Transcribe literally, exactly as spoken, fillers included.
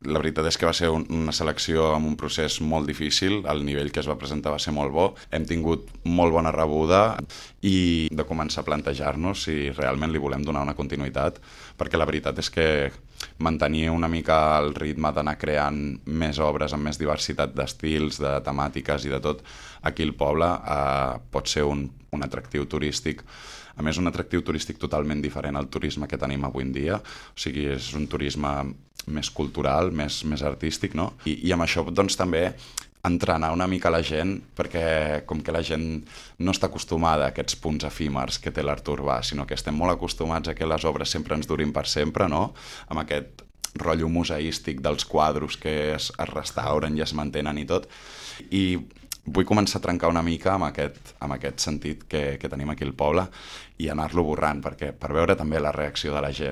La veritat és que va ser un, una selecció amb un procés molt difícil, el nivell que es va presentar va ser molt bo, hem tingut molt bona rebuda i de començar a plantejar-nos si realment li volem donar una continuïtat, perquè la veritat és que mantenir una mica el ritme d'anar creant més obres amb més diversitat d'estils, de temàtiques i de tot aquí al poble eh, pot ser un, un atractiu turístic. A més, un atractiu turístic totalment diferent al turisme que tenim avui en dia, o sigui, és un turisme més cultural, més, més artístic, no? I, i amb això doncs també entrenar una mica la gent, perquè com que la gent no està acostumada a aquests punts efímers que té l'art urbà, sinó que estem molt acostumats a que les obres sempre ens durin per sempre, no? Amb aquest rotllo museístic dels quadros que es, es restauren i es mantenen i tot. I vull començar a trencar una mica amb aquest, amb aquest sentit que, que tenim aquí al poble i anar-lo borrant, perquè per veure també la reacció de la gent.